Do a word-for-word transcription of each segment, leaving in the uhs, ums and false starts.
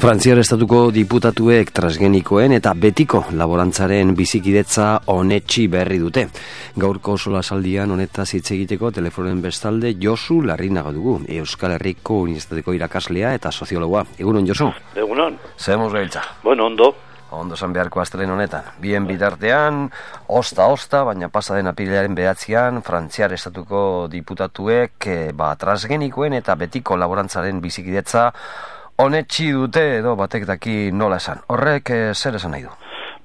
Frantziar estatuko diputatuek transgenikoen eta betiko laborantzaren bizikidetza onetsi berri dute. Gaurko solasaldian honetaz hitz egiteko telefonen bestalde Josu Larrinaga dugu, Euskal Herriko Unibertsitateko irakaslea eta soziologoa. Egunon, Josu? Egunon. Zeremos gailtza? Bueno, ondo. Ondo zan beharko astelen honetan. Bien bitartean, osta-osta, baina pasaden apirilaren behatzean, Frantziar estatuko diputatuek eh, ba, transgenikoen eta betiko laborantzaren bizikidetza onetsi dute edo batek daki nola esan. Horrek eh, zer esan nahi du?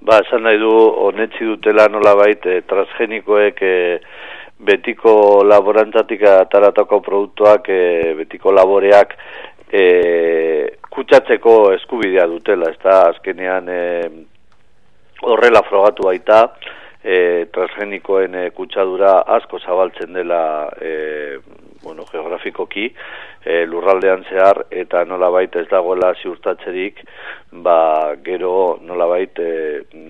Ba, esan nahi du onetsi dutela nola bait eh, transgenikoek eh, betiko laborantzatik ataratako produktuak, eh, betiko laboreak eh, kutsatzeko eskubidea dutela. Ez da, azkenean eh, horrela frogatu baita, eh, transgenikoen eh, kutsadura asko zabaltzen dela eh, bueno, geografikoki, e, lurraldean zehar, eta nolabait ez dagoela ziurtatzerik, ba, gero nolabait e,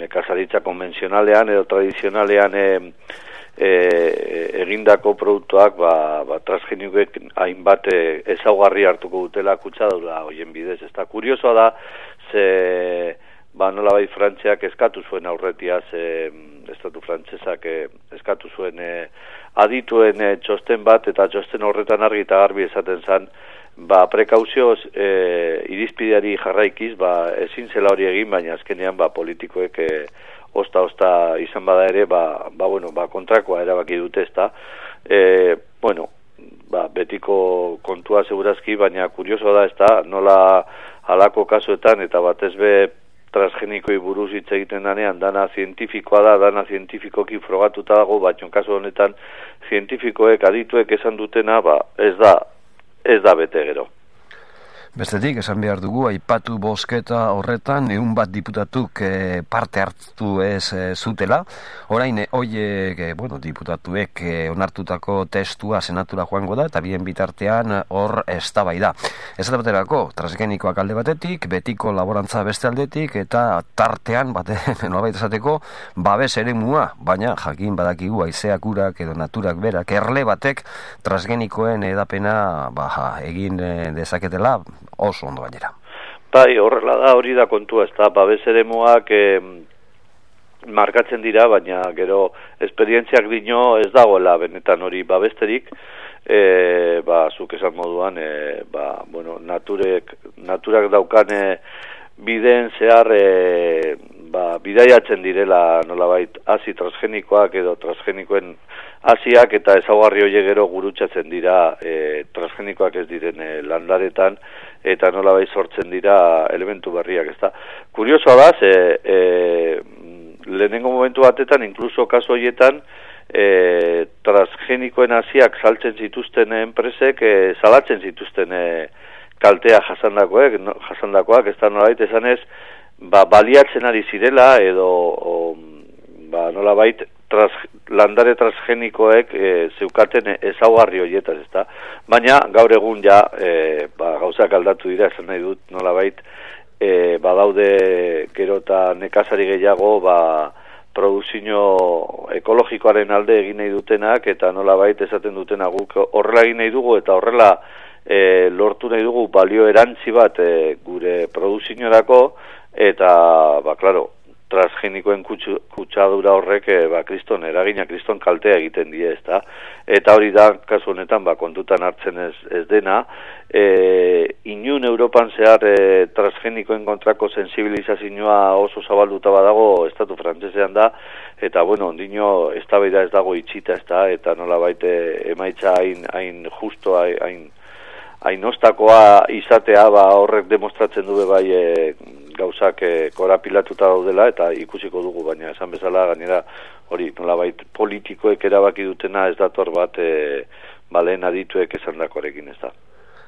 nekazaritza konbentzionalean edo tradizionalean e, e, egindako produktuak, ba, ba, transgenikoek hainbat e, ezaugarri hartuko dutela kutsadura hoien bidez. Ez da, kuriosoa da, ze, ba, nolabait Frantziak eskatu zuen aurretiaz, e, estatu frantsesak e, eskatu zuen e, adituen e, txosten bat, eta txosten horretan argi eta garbi esaten zen, ba, prekauzioz e, irizpideari jarraikiz, ba, ezin zela hori egin, baina azkenean ba, politikoek e, osta-osta izan bada ere, ba, ba, bueno, ba, kontrakoa erabaki dute ezta. E, bueno, ba, betiko kontua segurazki, baina kurioso da ezta, nola halako kasuetan, eta batez be transgenikoi buruz hitz egiten danean, dana zientifikoa da, dana zientifikoki frogatuta dago, baina kasu honetan zientifikoek, adituek esan dutena, ba, ez da, ez da bete gero. Bestetik, esan behar dugu, aipatu bozketa horretan, ehun bat diputatuk e, parte hartu ez e, zutela. Orain, hoiek, e, bueno, diputatuek e, onartutako testua senatura joango da, eta bien bitartean hor eztabaida. Ez da baterako, transgenikoak alde batetik, betiko laborantza beste aldetik, eta tartean, bate, nolabait esateko, babes eremua, baina jakin badakigu haizeak urak edo naturak berak, erle batek transgenikoen edapena baja, egin e, dezaketela, oso ondo gainera. Bai, horrela da, hori da kontua, ez da, babes eremuak eh, markatzen dira, baina gero esperientziak dino ez dagoela benetan hori babesterik, eh, ba, zuk esan moduan, eh, ba, bueno, naturek, naturak daukan eh, bideen zehar eh, ba, bidaiatzen direla nolabait hasi transgenikoak edo transgenikoen hasiak eta ezaugarri horiek gero gurutzatzen dira e, transgenikoak ez diren e, landaretan eta nolabait sortzen dira elementu berriak, ezta. Kuriosoa da, ze e, lehenengo momentu batetan, inkluso kasu horietan, e, transgenikoen hasiak saltzen zituzten enpresek, e, salatzen zituzten e, kaltea jasandakoek, no, jasandakoak, ez da nolabait esanez, ba, baliatzen ari zirela edo o, ba, nolabait tras, landare transgenikoek e, zeukaten ezaugarri horietaz, ezta? Baina gaur egun ja e, ba, gauzak aldatu dira, esan nahi dut nolabait e, badaude gero eta nekazari gehiago ba, produzio ekologikoaren alde egin nahi dutenak eta nolabait esaten dutena guk horrela egin nahi dugu eta horrela e, lortu nahi dugu balio erantzi bat e, gure produziorako eta, ba, klaro, transgenikoen kutsu, kutsadura horrek, e, ba, kriston eragina, kriston kaltea egiten die, ezta? Eta hori da, kasu honetan, ba, kontutan hartzen ez, ez dena, e, inun Europan zehar e, transgenikoen kontrako sensibilizazioa oso zabalduta badago, estatu frantsesean da, eta, bueno, ondino, eztabaida ez dago itxita, ezta? Eta nola baite emaitza hain, hain justo, hain, hain ostakoa izatea, ba, horrek demostratzen du bai e, gauzak e, korapilatuta daudela eta ikusiko dugu, baina esan bezala gainera hori nolabait politikoek erabaki dutena ez dator bat e, balen adituek esandakoarekin, ez da.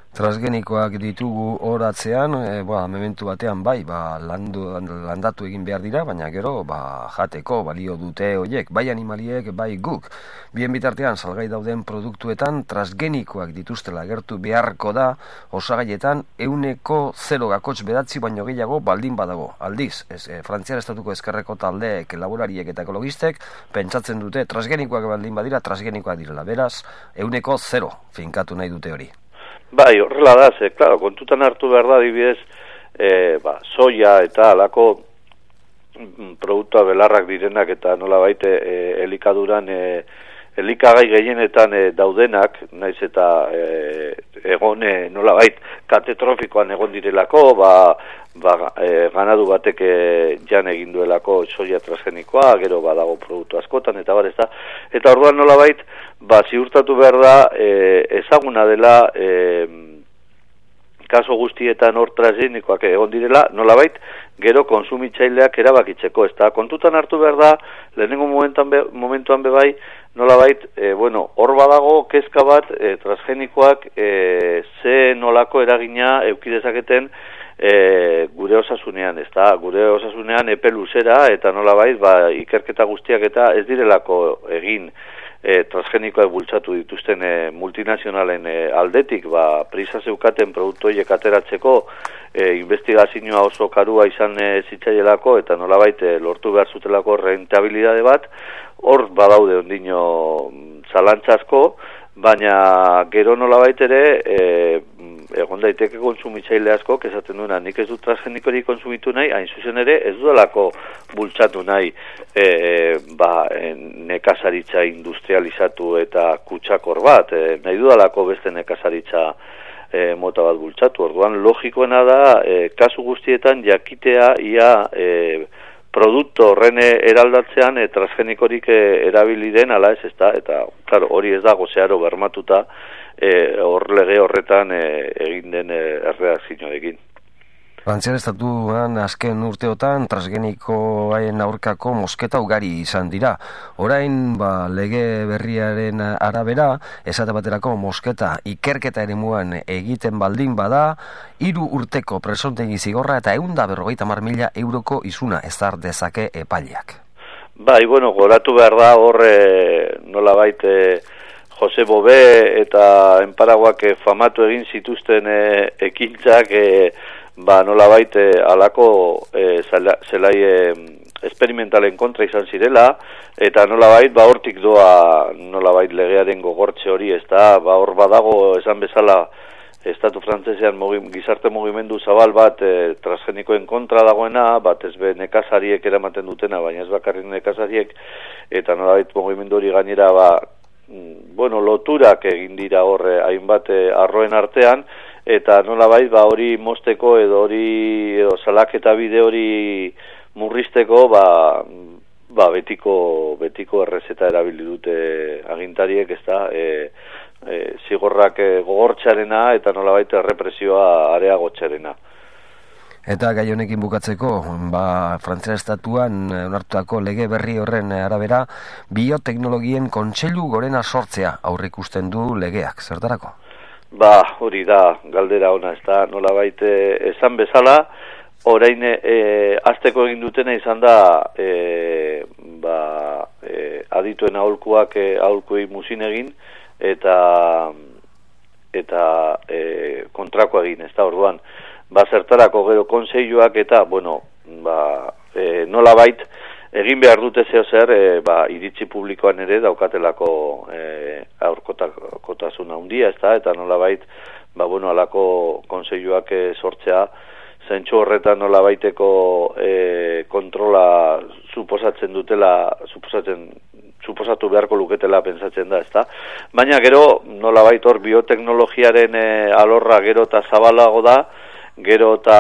Transgenikoak ditugu horatzean, e, ba, momentu batean bai, ba, landu, landatu egin behar dira, baina gero ba, jateko balio dute horiek, bai animaliek, bai guk. Bien bitartean, salgai dauden produktuetan transgenikoak dituztela gertu beharko da, osagaietan euneko zero gakotx bedatzi baino gehiago baldin badago. Aldiz, ez, e, Frantziar estatuko ezkerreko taldeek, laborariek eta ekologistek, pentsatzen dute transgenikoak baldin badira, transgenikoak direla. Beraz, euneko zero finkatu nahi dute hori. Bai, horrela da, ze, klaro, kontutan hartu behar da, adibidez, e, ba, soia eta alako produktua belarrak direnak eta nolabait e, elikaduran e, elikagai gehienetan e, daudenak, naiz eta e, egon e, nolabait katetrofikoan egon direlako, ba, ba, e, ganadu batek e, jan egin duelako soia transgenikoa, gero badago produktu askotan, eta bar, ez da. Eta orduan nolabait, ba, ziurtatu behar da, e, ezaguna dela, e, kaso guztietan hor transgenikoak egon direla, nolabait, gero konsumitzaileak erabakitzeko, ez da. Kontutan hartu behar da, lehenengo momentuan, be, momentuan bebai, nolabait, e, bueno, hor badago kezka bat e, transgenikoak e, ze nolako eragina eukidezaketen e, gure osasunean, ez da, gure osasunean epe luzera, eta nolabait, ba, ikerketa guztiak eta ez direlako egin e, transgenikoak bultzatu dituzten e, multinazionalen e, aldetik, ba, prisa zeukaten produktu horiek ateratzeko e, investigazioa oso karua izan e, zitzaielako, eta nolabait e, lortu behar zutelako rentabilidade bat, hor badaude ondino zalantzasko, baina gero nolabait ere e, egon daiteke kontsumitzaile asko, esaten duena, nik ez dut transgenikorik konsumitu nahi, hain zuzen ere ez dudalako bultzatu nahi e, ba, nekazaritza industrializatu eta kutsakor bat, e, nahi dudalako beste nekazaritza e, mota bat bultzatu. Orduan logikoena da, e, kasu guztietan jakitea ia e, produktu horren eraldatzean e, transgenikorik e, erabili den ala ez, ezta, eta claro, hori ez dago zeharo bermatuta hor e, lege horretan e, egin den e, erreakzioarekin. Frantziar estatuan azken urteotan transgenikoen aurkako mosketa ugari izan dira. Orain ba, lege berriaren arabera, esate baterako mosketa ikerketa eremuan egiten baldin bada, hiru urteko presontegi zigorra eta ehun eta berrogeita hamar mila euroko isuna ezar dezake epaileak. Bai, bueno, goratu behar da hor e, nolabait e, Jose Bové eta enparaguak e, famatu egin zituzten e, ekintzak e, ba nolabait e, alako e, zelai e, esperimentalen kontra izan zirela, eta nolabait ba hortik doa nolabait legearen gogortze hori, ez da, ba hor badago esan bezala estatu frantsesean mugi, gizarte mugimendu zabal bat e, transgenikoen kontra dagoena, bat ez be nekazariek eramaten dutena, baina ez bakarrik nekazariek, eta nolabait mugimendu hori gainera ba, bueno, loturak egin dira horre hainbat e, arroen artean, eta nolabait ba hori mosteko edo hori edo salaketa bide hori murrizteko ba, ba betiko betiko errezeta erabili dute agintariek, ezta, e, e, zigorrak e, gogortzearena eta nolabait errepresioa areagotzearena. Eta gai honekin bukatzeko, ba, Frantziar estatuan onartutako lege berri horren arabera, bioteknologien kontseilu gorena sortzea aurreikusten du legeak, zertarako? Ba, hori da, galdera ona, ez da, nolabait esan bezala, orain e, azteko egin dutena izan da, e, ba, e, adituen aholkuak e, aholkuei muzin egin, eta, eta e, kontrako egin, ez da, orduan, ba, zertarako gero konseiluak eta, bueno, ba, e, nolabait, egin behar dute zeo zer, e, ba, iritzi publikoan ere daukatelako e, aurkotasun handia, ez da, eta nolabait, ba, bueno, alako konseiluak e, sortzea, zentsu horretan nolabaiteko e, kontrola suposatzen dutela, suposatzen, suposatu beharko luketela pentsatzen da, ez da. Baina gero, nolabait hor bioteknologiaren e, alorra gero eta zabalago da, gero eta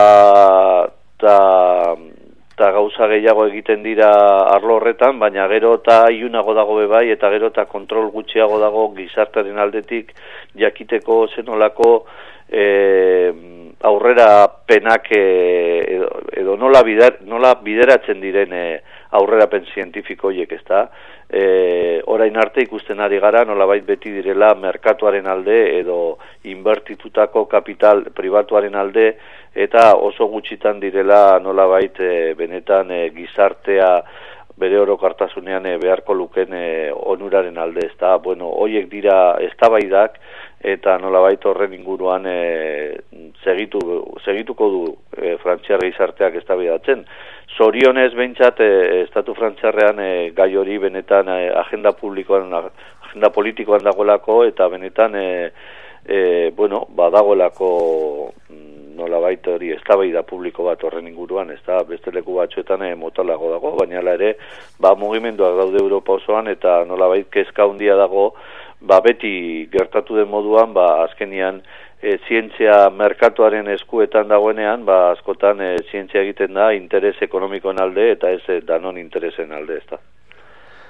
eta gauza gehiago egiten dira arlo horretan, baina gero eta iunago dago bebai, eta gero eta kontrol gutxiago dago gizartaren aldetik jakiteko zenolako e, aurrera penak e, edo, edo nola, bider, nola bideratzen diren e, aurrerapen zientifiko horiek, ezta? E, orain arte ikusten ari gara nolabait beti direla merkatuaren alde edo inbertitutako kapital pribatuaren alde, eta oso gutxitan direla nolabait e, benetan e, gizartea bere orokartasunean e, beharko luken e, onuraren alde, ezta? Bueno, horiek dira eztabaidak eta nolabait horren inguruan e, segitu, segituko du e, frantziar gizarteak eztabaidatzen. Zorionez behintzat e, estatu frantziarrean e, gai hori benetan e, agenda publikoan, agenda politikoan dagoelako, eta benetan e, e, bueno, badagoelako nolabait hori eztabaida publiko bat horren inguruan, ez da, beste leku batzuetan e, motalago dago, baina hala ere, ba, mugimenduak daude Europa osoan, eta nolabait kezka handia dago, ba, beti gertatu den moduan, ba, azkenian, e, zientzia merkatuaren eskuetan dagoenean, ba, askotan e, zientzia egiten da interes ekonomikoen alde, eta ez e, danon interesen alde, ez da.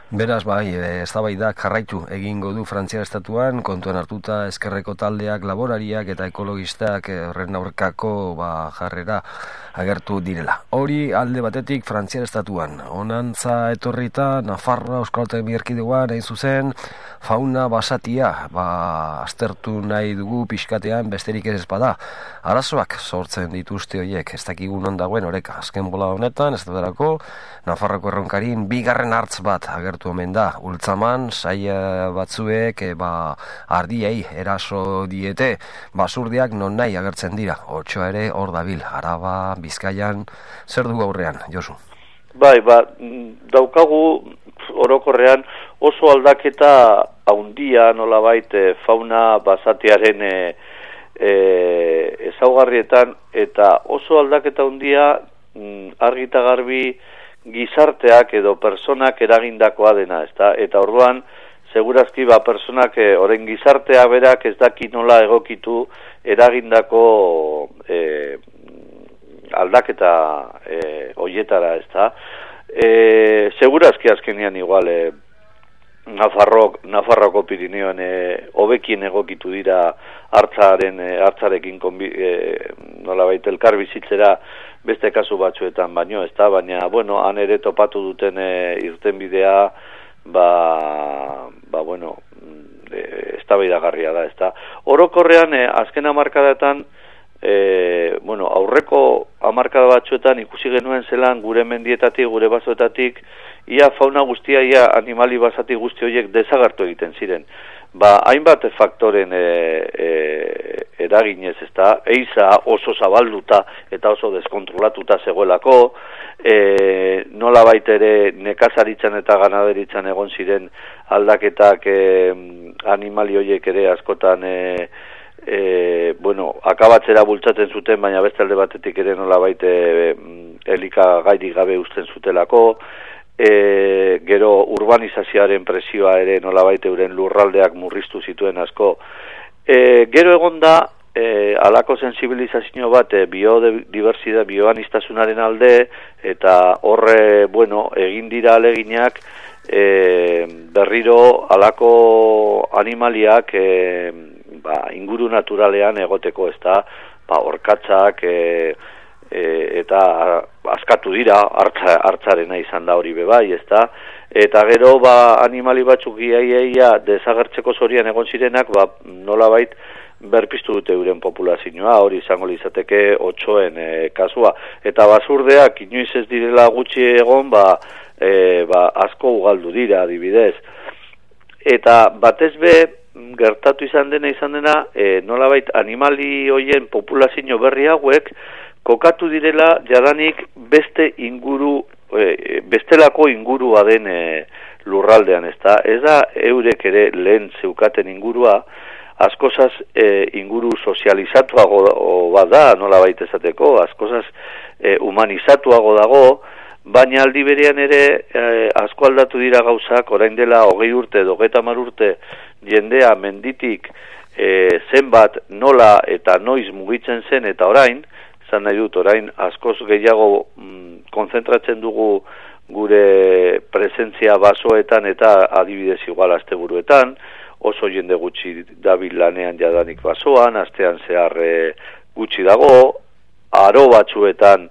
Beraz, bai, eztabaidak jarraitu egingo du Frantziar estatuan, kontuan hartuta ezkerreko taldeak, laborariak eta ekologistak horren aurkako ba, jarrera agertu direla. Hori alde batetik Frantziar estatuan. Honantza etorrita, Nafarroa, Euskal Autonomia Erkidegoan, hain zuzen, fauna basatia, ba, aztertu nahi dugu pixkatean besterik ez espada. Arazoak sortzen dituzte horiek, ez dakigu non dagoen oreka. Azken bola honetan, ez dudarako, Nafarroko erronkarin bigarren hartz bat agertu omen da. Ultzaman, saia batzuek e, ba, ardiei eraso diete, basurdiak non nahi agertzen dira. Otsoa ere hor dabil, Araba, Bizkaian, zer dugu aurrean, Josu? Bai, ba, daukagu orokorrean oso aldaketa haundia nolabait e, fauna basatiaren e, e, ezaugarrietan, eta oso aldaketa haundia argi eta garbi gizarteak edo personak eragindakoa dena, ezta? Eta orduan, segurazki ba personak e, orain gizartea berak ez daki nola egokitu eragindako e, aldaketa e, hoietara, ezta? E, segurazki azkenean igual e, Nafarrok, Nafarroko Pirineoan e, hobekien egokitu dira hartzaren e, hartzarekin konbi, e, nolabait elkar bizitzera beste kasu batzuetan baino, ez da, baina, bueno, han ere topatu duten e, irtenbidea, ba, ba, bueno, e, eztabaidagarria da, ez da. Orokorrean, e, azken hamarkadatan, e, bueno, aurreko hamarkada batzuetan ikusi genuen zelan gure mendietatik, gure basoetatik, ia fauna guztia, ia animali basati guzti horiek desagertu egiten ziren. Ba, hainbat faktoren e, e, eraginez, ez da, eiza oso zabalduta eta oso deskontrolatuta zegoelako, e, nola baitere nekazaritzan eta ganaderitzan egon ziren aldaketak e, animali horiek ere askotan e, e, bueno, akabatzera bultzaten zuten, baina beste alde batetik ere nola baite e, elikagairik gabe uzten zutelako, E, gero urbanizazioaren presioa ere nolabait euren lurraldeak murriztu zituen asko. E, gero egon da e, alako sensibilizazio bat e, biodibertsitate, bioanistasunaren alde, eta horre, bueno, egin dira aleginak e, berriro alako animaliak e, ba, inguru naturalean egoteko, ez da, ba, orkatzak, e, E, eta askatu dira, hartza, hartzarena izan da hori bebai, ezta? Eta gero, ba, animali batzuk iaia desagertzeko zorian egon zirenak, ba, nolabait berpiztu dute euren populazioa, hori izango lizateke otsoen e, kasua. Eta basurdeak, inoiz ez direla gutxi egon, ba, e, ba, asko ugaldu dira, adibidez. Eta batez be, gertatu izan dena izan dena, e, nolabait animali hoien populazio berri hauek, kokatu direla jadanik beste inguru, e, bestelako ingurua den e, lurraldean, ez da? Ez da eurek ere lehen zeukaten ingurua, askozaz e, inguru sozializatuago bada, nola baita esateko, askozaz e, humanizatuago dago, baina aldi berean ere e, asko aldatu dira gauzak, orain dela hogei urte, hogeita hamar urte jendea menditik e, zenbat nola eta noiz mugitzen zen, eta orain, zan nahi dut, orain askoz gehiago mm, konzentratzen dugu gure presentzia basoetan eta adibidez igual asteburuetan, oso jende gutxi dabil lanean jadanik basoan, astean zehar e, gutxi dago, aro batzuetan,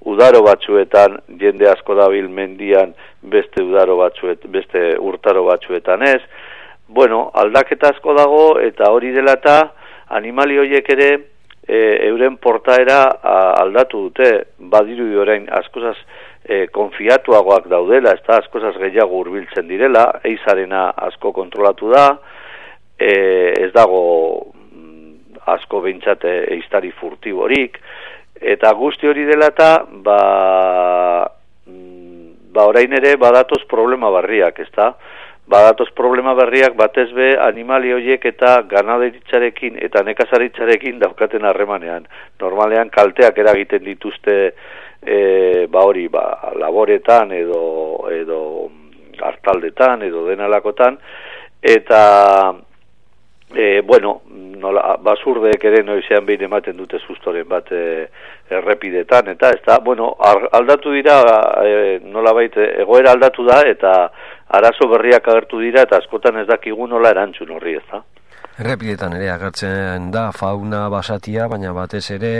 udaro batzuetan jende asko dabil mendian beste udaro batzuet, beste urtaro batzuetan ez. Bueno, aldaketa asko dago eta hori dela eta animali horiek ere E, euren portaera a, aldatu dute, badiru orain askozaz e, konfiatuagoak daudela, ez da askozaz gehiago hurbiltzen direla, eizarena asko kontrolatu da, e, ez dago mm, asko behintzate eiztari furtiborik, eta guzti hori dela eta ba, mm, ba orain ere badatoz problema barriak, ez da? badatoz problema berriak batez be animali horiek eta ganaderitzarekin eta nekazaritzarekin daukaten harremanean. Normalean kalteak eragiten dituzte e, ba hori, ba, laboretan edo, edo hartaldetan edo denalakotan, eta e, bueno, nola, basurdeek ere noizean behin ematen dute sustoren bat e, errepidetan, eta ez da, bueno, aldatu dira, e, nolabait egoera aldatu da, eta arazo berriak agertu dira, eta askotan ez dakigu nola erantzun horri, ez da. Errepidetan ere agertzen da fauna basatia, baina batez ere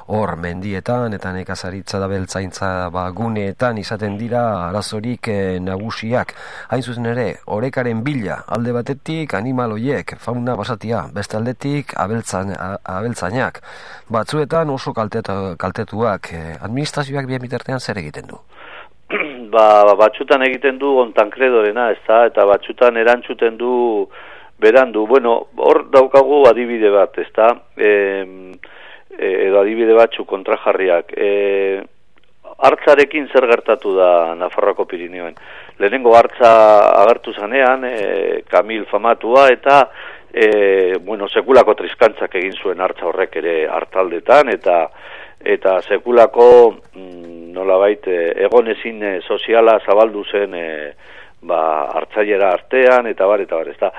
hor mendietan eta nekazaritza da beltzaintza ba, guneetan izaten dira arazorik eh, nagusiak. Hain zuzen ere, orekaren bila alde batetik animal hoiek fauna basatia, beste aldetik abeltzan, abeltzainak. Batzuetan oso kaltetu, kaltetuak, eh, administrazioak bien bitartean zer egiten du? Ba, batzutan egiten du ontankredorena, ez da, eta batzutan erantzuten du berandu. Bueno, hor daukagu adibide bat, ez da, e, edo adibide batzu kontrajarriak. E, hartzarekin zer gertatu da Nafarroako Pirineoen. Lehenengo hartza agertu zanean, e, Kamil famatua, eta e, bueno, sekulako triskantzak egin zuen hartza horrek ere hartaldetan, eta eta sekulako mm, nolabait egonezin e, soziala zabaldu zen e, ba, hartzailera artean, eta bar, eta bar, ez da.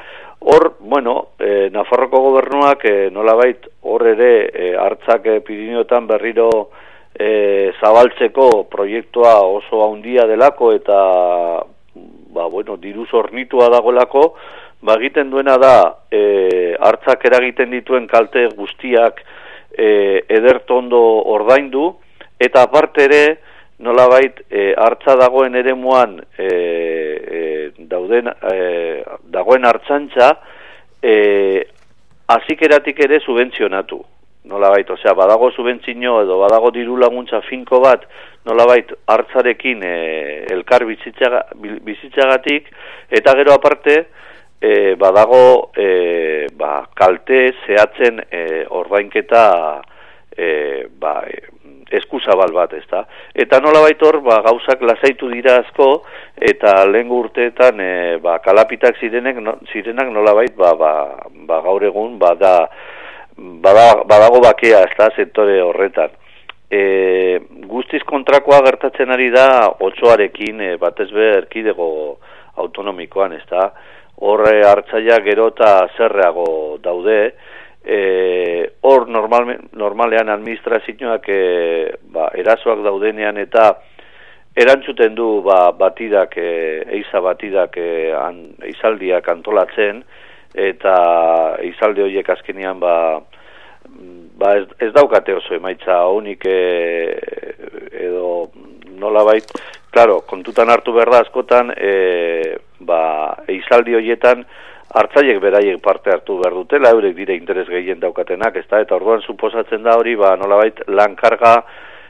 Hor, bueno, e, Nafarroko gobernuak e, nolabait hor ere e, hartzak e, Pirineotan berriro e, zabaltzeko proiektua oso handia delako eta ba, bueno, diruz hornitua dagoelako, ba, egiten duena da e, hartzak eragiten dituen kalte guztiak e, edertondo ordaindu, eta aparte ere nolabait e, hartza dagoen eremuan e, e, dauden e, dagoen hartzantza e, azikeratik ere subentzionatu. Nolabait, osea, badago subentzio edo badago diru laguntza finko bat, nolabait hartzarekin e, elkar bizitzaga, bizitzagatik, eta gero aparte e, badago e, ba, kalte zehatzen e, ordainketa e, ba, e, eskuzabal bat, ez da. Eta nolabait hor, ba, gauzak lasaitu dira asko, eta lehengo urteetan e, ba, kalapitak zirenek, no, zirenak nolabait ba, ba, ba, gaur egun bada, bada, badago bakea, ez da, sektore horretan. E, guztiz kontrakoa gertatzen ari da otsoarekin, e, batez be erkidego autonomikoan, ez da. Horre hartzaia gero eta zerreago daude, E, hor normal, normalean administrazioak e, ba, erasoak daudenean eta erantzuten du ba, batidak, e, eiza batidak e, an, eizaldiak antolatzen, eta eizalde horiek azkenean ba, ba ez, ez daukate oso emaitza honik e, edo nolabait, claro, kontutan hartu behar da askotan e, ba, eizaldi horietan hartzaiek beraiek parte hartu behar dutela, eurek dire interes gehien daukatenak, ez da, eta orduan suposatzen da hori, ba, nolabait, lankarga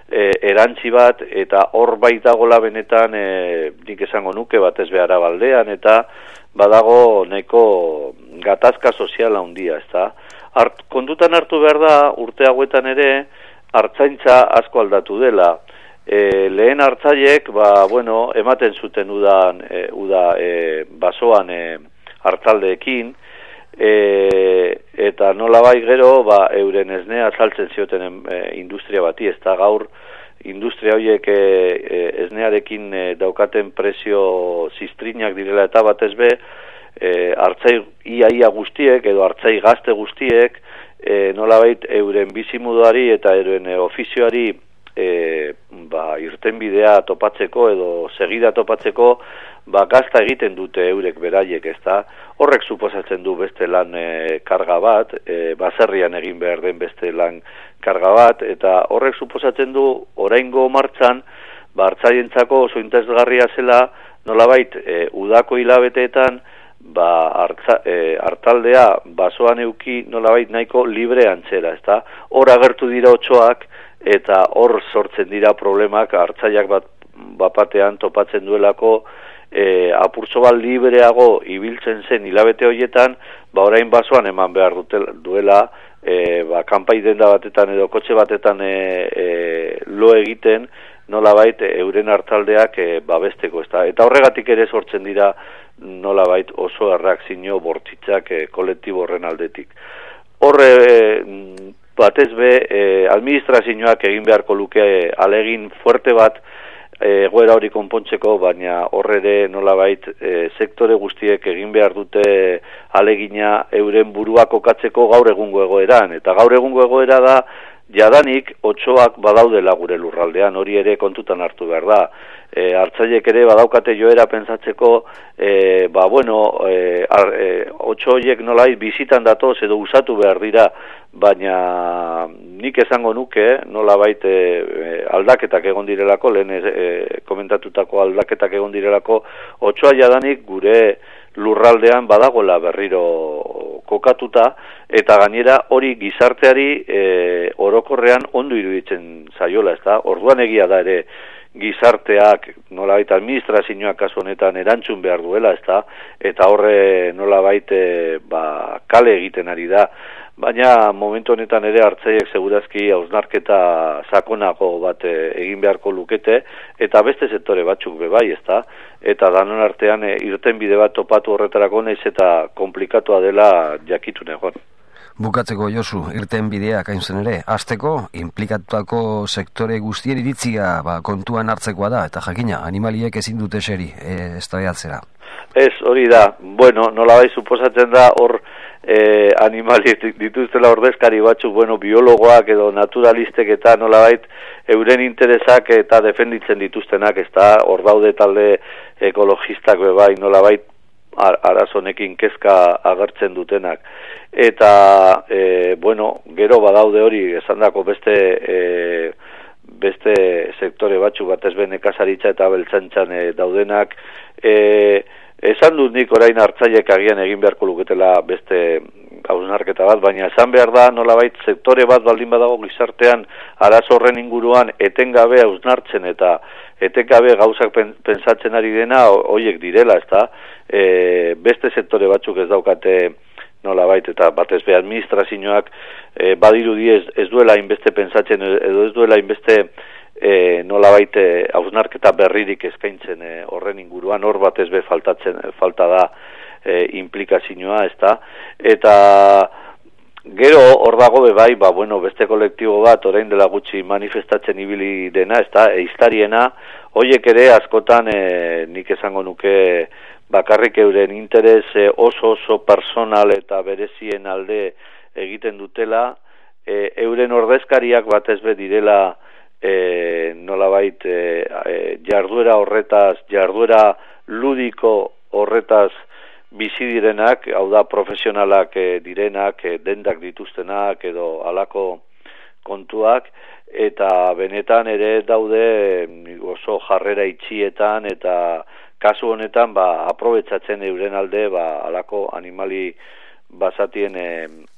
e, erantzi bat, eta hor baitagola benetan, e, nik esango nuke, batez behara baldean, eta badago neko gatazka soziala handia, ez da. Hart, kontutan hartu behar da, urte hauetan ere, hartzaintza asko aldatu dela. E, lehen hartzaiek, ba, bueno, ematen zuten udan, e, uda, e, basoan, e, hartaldeekin, e, eta nolabai gero, ba, euren esnea saltzen zioten e, industria bati, ez da gaur, industria horiek e, e, esnearekin e, daukaten prezio ziztrinak direla eta batez be, e, hartzai iaia guztiek, edo hartzai gazte guztiek, e, nolabait euren bizimuduari eta euren e, ofizioari e, ba, irtenbidea topatzeko edo segida topatzeko, ba, gazta egiten dute eurek beraiek, ez da. Horrek suposatzen du beste lan e, karga bat, e, baserrian egin behar den beste lan karga bat, eta horrek suposatzen du oraingo martxan, ba, hartzaientzako oso interesgarria zela, nolabait, e, udako hilabeteetan, ba, hartza, e, hartaldea basoan euki nolabait nahiko libre antzera, ez da. Hor agertu dira otsoak, eta hor sortzen dira problemak, hartzaiak bat, bapatean topatzen duelako, E, apurtzo bat libreago ibiltzen zen hilabete horietan, ba orain basoan eman behar dutel, duela, e, ba kanpai denda batetan edo kotxe batetan e, e, lo egiten, nolabait euren hartaldeak e, babesteko, ezta? Eta horregatik ere sortzen dira nolabait oso erreakzio bortitzak e, kolektibo horren aldetik. Horre e, batez be, e, administrazioak egin beharko luke e, alegin fuerte bat egoera hori konpontzeko, baina horre ere nolabait e, sektore guztiek egin behar dute alegina euren burua kokatzeko gaur egungo egoeran, eta gaur egungo egoera da jadanik otsoak badaudela gure lurraldean, hori ere kontutan hartu behar da. E, hartzaileek ere badaukate joera pentsatzeko, e, ba bueno, e, ar, e, otso horiek nolai bizitan datoz edo usatu behar dira, baina nik esango nuke nolabait e, aldaketak egon direlako, lehen e, komentatutako aldaketak egon direlako, otsoa jadanik gure lurraldean badagola berriro kokatuta, eta gainera hori gizarteari e, orokorrean ondo iruditzen zaiola, ezta? Orduan egia da ere gizarteak nolabait administrazioak kasu honetan erantzun behar duela, ezta? Eta horre nolabait e, ba, kale egiten ari da. Baina momentu honetan ere hartzaileek segurazki hausnarketa sakonago bat egin beharko lukete, eta beste sektore batzuk be bai, ezta? Eta danon artean e, irtenbide bat topatu horretarako naiz eta komplikatua dela jakitun egon. Bukatzeko Josu, irtenbideak hain zen ere, hasteko inplikatutako sektore guztien iritzia ba, kontuan hartzekoa da, eta jakina, animaliek ezin dute eseri, e, eztabaidatzera. Ez, hori da, bueno, nolabait suposatzen da hor e, animali dituztela ordezkari batzuk, bueno, biologoak edo naturalistek eta nolabait euren interesak eta defenditzen dituztenak, ez da, hor daude talde ekologistak bebai, nolabait arazonekin kezka agertzen dutenak. Eta, e, bueno, gero badaude hori, esandako beste e, beste sektore batzuk batez be nekazaritza eta beltzantzan e, daudenak, e, esan dut nik orain hartzaileek agian egin beharko luketela beste hausnarketa bat, baina esan behar da nolabait sektore bat baldin badago gizartean arazo horren inguruan etengabe hausnartzen eta etengabe gauzak pentsatzen ari dena hoiek direla, ezta? E, beste sektore batzuk ez daukate nolabait eta batez be administrazioak e, badirudi ez, ez duela inbeste pentsatzen edo ez duela inbeste e, nolabait hausnarketa berririk eskaintzen e, horren inguruan, hor batez be faltatzen falta da e, implikazioa, ezta? Eta gero hor dago be bai, ba bueno, beste kolektibo bat orain dela gutxi manifestatzen ibili dena, ezta? Eiztariena, hoiek ere askotan e, nik esango nuke bakarrik euren interes oso oso personal eta berezien alde egiten dutela, e, euren ordezkariak batez be direla e, nolabait e, e, jarduera horretaz, jarduera ludiko horretaz bizi direnak, hau da profesionalak e, direnak, e, dendak dituztenak edo halako kontuak, eta benetan ere daude oso jarrera itxietan eta kasu honetan ba aprobetxatzen euren alde ba halako animali basatien e,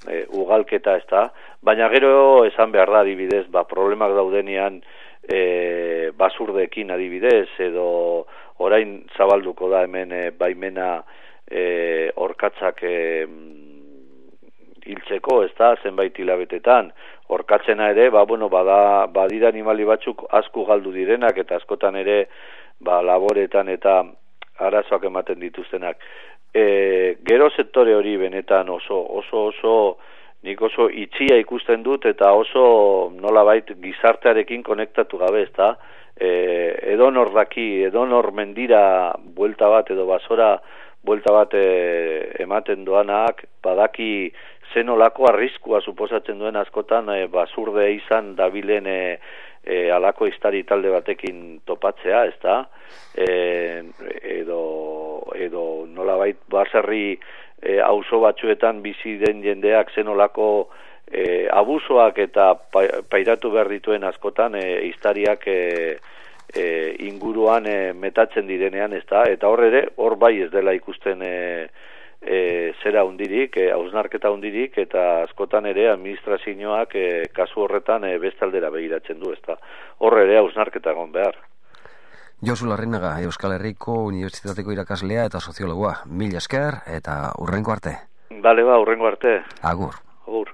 e, ugalketa, ezta, baina gero esan behar da adibidez ba problemak daudenean e, basurdeekin adibidez edo orain zabalduko da hemen e, baimena e, orkatzak e, hiltzeko, ezta, zenbait hilabetetan orkatzena ere ba bueno bada badira animali batzuk asko galdu direnak eta askotan ere ba laboretan eta arazoak ematen dituztenak. E, gero sektore hori benetan oso oso oso nik oso itxia ikusten dut eta oso nolabait gizartearekin konektatu gabe, ezta? E, edonor daki, edonor mendira buelta bat edo basora buelta bat e, ematen doanak, badaki zenolako arriskua suposatzen duen askotan e, basurde izan dabilen e, E, alako iztari talde batekin topatzea, ezta? E, edo, edo nolabait baserri e, auzo batzuetan bizi den jendeak zenolako e, abusoak eta pairatu behar dituen askotan e, iztariak e, e, inguruan e, metatzen direnean, ezta? Eta hor ere, hor bai ez dela ikusten e, E, zera hundirik, e, hausnarketa hundirik, eta askotan ere administrazioak e, kasu horretan e, bestaldera begiratzen du, ezta. Hor ere hausnarketa egon behar. Josu Larrinaga, Euskal Herriko Unibertsitateko irakaslea eta soziologoa. Mila esker eta hurrengo arte. Bale ba, hurrengo arte. Agur. Agur.